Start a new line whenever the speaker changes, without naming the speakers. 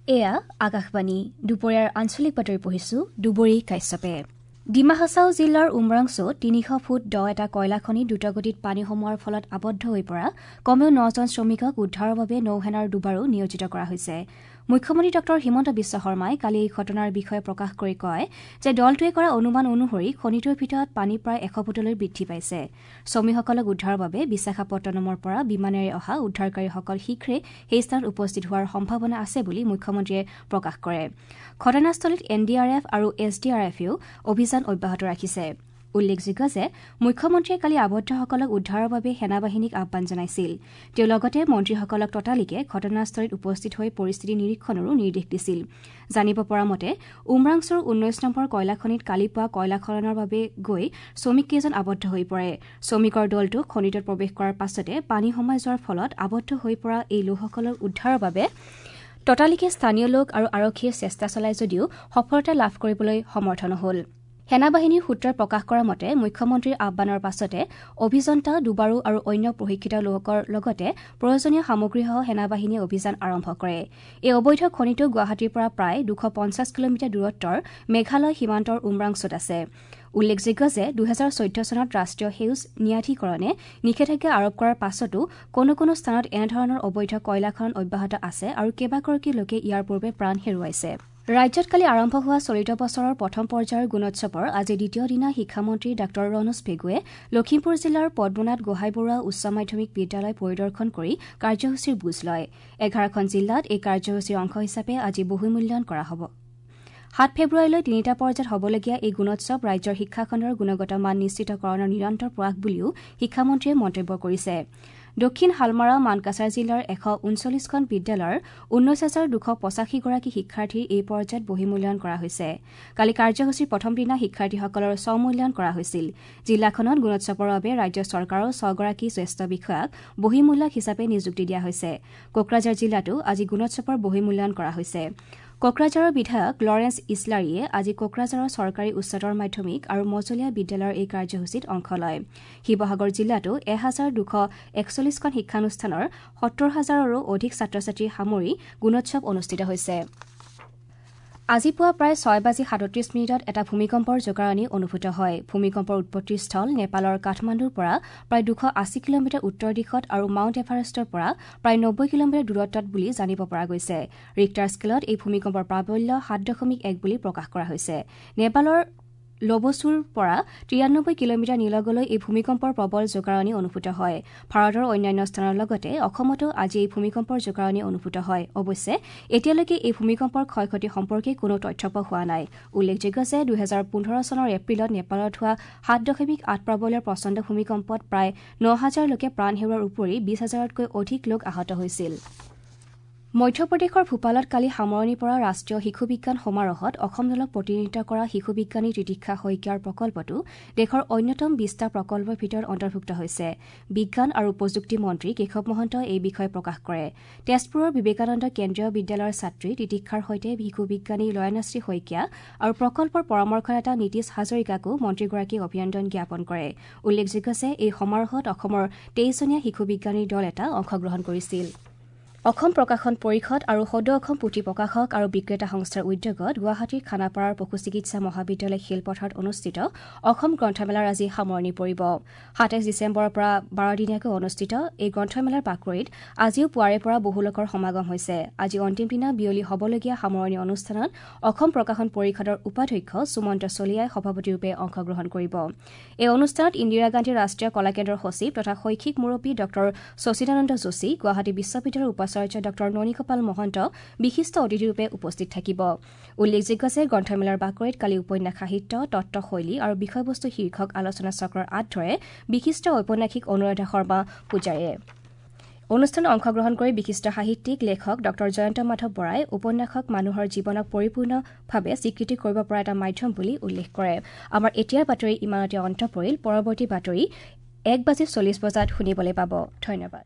এয়া আকাশবাণী। দুপৰীয়াৰ আঞ্চলিক বাতৰি পঢ়িছো দুবৰী কাশ্যপে। ডিমা হাছাও জিলাৰ উমৰাংছুত ৩০০ ফুট দ এটা কয়লা খনিত দ্ৰুতগতিত পানী সোমোৱাৰ ফলত আবদ্ধ হৈ পৰা কমেও ৯জন শ্ৰমিকক উদ্ধাৰৰ বাবে নৌসেনাৰ ডুবাৰু নিয়োজিত কৰা হৈছে। মুখ্যমন্ত্ৰী ডঃ হিমন্ত বিশ্ব শৰ্মাই কালি এই ঘটনাৰ বিষয়ে প্ৰকাশ কৰি কয় যে দলটোৱে কৰা অনুমান অনুসৰি খনিটোৰ ভিতৰত পানী প্ৰায় ১০০ ফুটলৈ বৃদ্ধি পাইছে। শ্ৰমিকসকলক উদ্ধাৰৰ বাবে বিশাখাপট্টনমৰ পৰা বিমানেৰে অহা উদ্ধাৰকাৰীসকল শীঘ্ৰে সেই স্থানত উপস্থিত হোৱাৰ সম্ভাৱনা আছে বুলি মুখ্যমন্ত্ৰীয়ে প্ৰকাশ কৰে। ঘটনাস্থলীত এন ডি আৰ এফ আৰু এছ ডি আৰ এফেও অভিযান অব্যাহত ৰাখিছে। উল্লেখযোগ্য যে মুখ্যমন্ত্ৰীয়ে কালি আবদ্ধসকলক উদ্ধাৰৰ বাবে সেনাবাহিনীক আহ্বান জনাইছিল। তেওঁ লগতে মন্ত্ৰীসকলক ততালিকে ঘটনাস্থলীত উপস্থিত হৈ পৰিস্থিতি নিৰীক্ষণৰো নিৰ্দেশ দিছিল। জানিব পৰা মতে উমৰাংছুৰ ১৯ নম্বৰ কয়লা খনিত কালি পুৱা কয়লা খননৰ বাবে গৈ শ্ৰমিককেইজন আবদ্ধ হৈ পৰে। শ্ৰমিকৰ দলটো খনিটোত প্ৰৱেশ কৰাৰ পাছতে পানী সোমাই যোৱাৰ ফলত আবদ্ধ হৈ পৰা এই লোকসকলক উদ্ধাৰৰ বাবে ততালিকে স্থানীয় লোক আৰু আৰক্ষীয়ে চেষ্টা চলায় যদিও সফলতা লাভ কৰিবলৈ সমৰ্থ নহল। সেনাবাহিনীৰ সূত্ৰই প্ৰকাশ কৰা মতে মুখ্যমন্ত্ৰীৰ আহ্বানৰ পাছতে অভিযন্তা, ডুবাৰু আৰু অন্য প্ৰশিক্ষিত লোকৰ লগতে প্ৰয়োজনীয় সামগ্ৰীসহ সেনাবাহিনীয়ে অভিযান আৰম্ভ কৰে। এই অবৈধ খনিটো গুৱাহাটীৰ পৰা প্ৰায় ২৫০ কিলোমিটাৰ দূৰত্বৰ মেঘালয় সীমান্তৰ উমৰাংছুত আছে। উল্লেখযোগ্য যে ২০১৪ চনত ৰাষ্ট্ৰীয় সেউজ ন্যায়াধিকৰণে নিষেধাজ্ঞা আৰোপ কৰাৰ পাছতো কোনো কোনো স্থানত এনেধৰণৰ অবৈধ কয়লা খনন অব্যাহত আছে আৰু কেইবাগৰাকী লোকে ইয়াৰ পূৰ্বে প্ৰাণ হেৰুৱাইছে। ৰাজ্যত কালি আৰম্ভ হোৱা চলিত বছৰৰ প্ৰথম পৰ্যায়ৰ গুণোৎসৱৰ আজি দ্বিতীয় দিনা শিক্ষামন্ত্ৰী ডাঃ ৰণোজ পেগুৱে লখিমপুৰ জিলাৰ পদ্মনাথ গোহাঁই বৰুৱা উচ্চ মাধ্যমিক বিদ্যালয় পৰিদৰ্শন কৰি কাৰ্যসূচীৰ বুজ লয়। ১১খন জিলাত এই কাৰ্যসূচীৰ অংশ হিচাপে আজি বহুমূল্যায়ন কৰা হ'ব। ৭ ফেব্ৰুৱাৰীলৈ তিনিটা পৰ্যায়ত হ'বলগীয়া এই গুণোৎসৱ ৰাজ্যৰ শিক্ষাখণ্ডৰ গুণগত মান নিশ্চিতকৰণৰ নিৰন্তৰ প্ৰয়াস বুলিও শিক্ষামন্ত্ৰীয়ে মন্তব্য কৰিছে। দক্ষিণ হালমাৰা মানকাছাৰ জিলাৰ ১৩৯খন বিদ্যালয়ৰ ১৯,২৮৫ গৰাকী শিক্ষাৰ্থীৰ এই পৰ্যায়ত বহিমূল্যায়ন কৰা হৈছে। কালি কাৰ্যসূচীৰ প্ৰথম দিনা শিক্ষাৰ্থীসকলৰ স্বমূল্যায়ন কৰা হৈছিল। জিলাখনত গুণোৎসৱৰ বাবে ৰাজ্য চৰকাৰৰ ৬গৰাকী জ্যেষ্ঠ বিষয়াক বহিমূল্যায়ক হিচাপে নিযুক্তি দিয়া হৈছে। কোকৰাঝাৰ জিলাতো আজি গুণোৎসৱৰ বহিমূল্যায়ন কৰা হৈছে। কোকৰাঝাৰৰ বিধায়ক লৰেন্স ইছলাৰীয়ে আজি কোকৰাঝাৰৰ চৰকাৰী উচ্চতৰ মাধ্যমিক আৰু মজলীয়া বিদ্যালয়ৰ এই কাৰ্যসূচীত অংশ লয়। শিৱসাগৰ জিলাতো ১,২৪১খন শিক্ষানুষ্ঠানৰ ৭০ হাজাৰৰো অধিক ছাত্ৰ ছাত্ৰী সামৰি গুণোৎসৱ অনুষ্ঠিত হৈছে। আজি পুৱা প্ৰায় ৬:৩৭ এটা ভূমিকম্পৰ জোকাৰণি অনুভূত হয়। ভূমিকম্পৰ উৎপত্তিস্থল নেপালৰ কাঠমাণ্ডুৰ পৰা প্ৰায় ২৮০ কিলোমিটাৰ উত্তৰ দিশত আৰু মাউণ্ট এভাৰেষ্টৰ পৰা প্ৰায় ৯০ কিলোমিটাৰ দূৰত্বত বুলি জানিব পৰা গৈছে। ৰিক্টাৰ স্কেলত এই ভূমিকম্পৰ প্ৰাবল্য ৭.১ বুলি প্ৰকাশ কৰা হৈছে। নেপালৰ লবচুৰ পৰা ৯৩ কিলোমিটাৰ নিলগলৈ এই ভূমিকম্পৰ প্ৰবল জোকাৰণি অনুভূত হয়। ভাৰতৰ অন্যান্য স্থানৰ লগতে অসমতো আজি এই ভূমিকম্পৰ জোকাৰণি অনুভূত হয়। অৱশ্যে এতিয়ালৈকে এই ভূমিকম্পৰ ক্ষয় ক্ষতি সম্পৰ্কে কোনো তথ্য পোৱা হোৱা নাই। উল্লেখযোগ্য যে ২০১৫ চনৰ এপ্ৰিলত নেপালত হোৱা ৭.৮ প্ৰাবল্যৰ প্ৰচণ্ড ভূমিকম্পত প্ৰায় ৯ হাজাৰ লোকে প্ৰাণ হেৰুওৱাৰ উপৰি ২০ হাজাৰতকৈ অধিক লোক আহত হৈছিল। মধ্যপ্ৰদেশৰ ভূপালত কালি সামৰণি পৰা ৰাষ্ট্ৰীয় শিশু বিজ্ঞান সমাৰোহত অসম দলক প্ৰতিনিধিত্ব কৰা শিশু বিজ্ঞানী তিতিক্ষা শইকীয়াৰ প্ৰকল্পটো দেশৰ অন্যতম ২০টা প্ৰকল্পৰ ভিতৰত অন্তৰ্ভুক্ত হৈছে। বিজ্ঞান আৰু প্ৰযুক্তি মন্ত্ৰী কেশৱ মহন্তই এই বিষয়ে প্ৰকাশ কৰে। তেজপুৰৰ বিবেকানন্দ কেন্দ্ৰীয় বিদ্যালয়ৰ ছাত্ৰী তিতিক্ষাৰ সৈতে শিশু বিজ্ঞানী লয়নাশ্ৰী শইকীয়া আৰু প্ৰকল্পৰ পৰামৰ্শদাতা নীতিশ হাজৰিকাকো মন্ত্ৰীগৰাকীয়ে অভিনন্দন জ্ঞাপন কৰে। উল্লেখযোগ্য যে এই সমাৰোহত অসমৰ ২৩জনীয়া শিশু বিজ্ঞানীৰ দল এটা অংশগ্ৰহণ কৰিছিল। অসম প্ৰকাশন পৰিষদ আৰু সদৌ অসম পুথি প্ৰকাশক আৰু বিক্ৰেতা সংস্থাৰ উদ্যোগত গুৱাহাটীৰ খানাপাৰাৰ পশু চিকিৎসা মহাবিদ্যালয় খেলপথাৰত অনুষ্ঠিত অসম গ্ৰন্থমেলাৰ আজি সামৰণি পৰিব। ২৭ ডিচেম্বৰৰ পৰা ১২দিনীয়াকৈ অনুষ্ঠিত এই গ্ৰন্থমেলাৰ বাকৰিত আজিও পুৱাৰে পৰা বহু লোকৰ সমাগম হৈছে। আজি অন্তিম দিনা বিয়লি হ'বলগীয়া সামৰণি অনুষ্ঠানত অসম প্ৰকাশন পৰিষদৰ উপাধ্যক্ষ সুমন্ত চলিয়াই সভাপতিৰূপে অংশগ্ৰহণ কৰিব। এই অনুষ্ঠানত ইন্দিৰা গান্ধী ৰাষ্ট্ৰীয় কলাকেন্দ্ৰৰ সচিব তথা শৈক্ষিক মুৰব্বী ডঃ শচীদানন্দ যোশী, গুৱাহাটী বিশ্ববিদ্যালয়ৰ উপাচাৰ্য ডঃ ননীগোপাল মহন্ত বিশিষ্ট অতিথিৰূপে উপস্থিত থাকিব। উল্লেখযোগ্য যে গ্ৰন্থমেলাৰ বাকৰিত কালি উপন্যাস সাহিত্য, তত্বশৈলী আৰু বিষয়বস্তু শীৰ্ষক আলোচনা চক্ৰৰ আঁত ধৰে বিশিষ্ট ঔপন্যাসিক অনুৰাধা শৰ্মা পূজাৰীয়ে। অনুষ্ঠানত অংশগ্ৰহণ কৰি বিশিষ্ট সাহিত্যিক লেখক ডঃ জয়ন্ত মাধৱ বৰাই উপন্যাসক মানুহৰ জীৱনক পৰিপূৰ্ণভাৱে স্বীকৃতি কৰিব পৰা এটা মাধ্যম বুলি উল্লেখ কৰে। আমাৰ এতিয়াৰ বাতৰি ইমানতে অন্ত পৰিল। পৰৱৰ্তী বাতৰি ১:৪০ বজাত শুনিবলৈ পাব। ধন্যবাদ।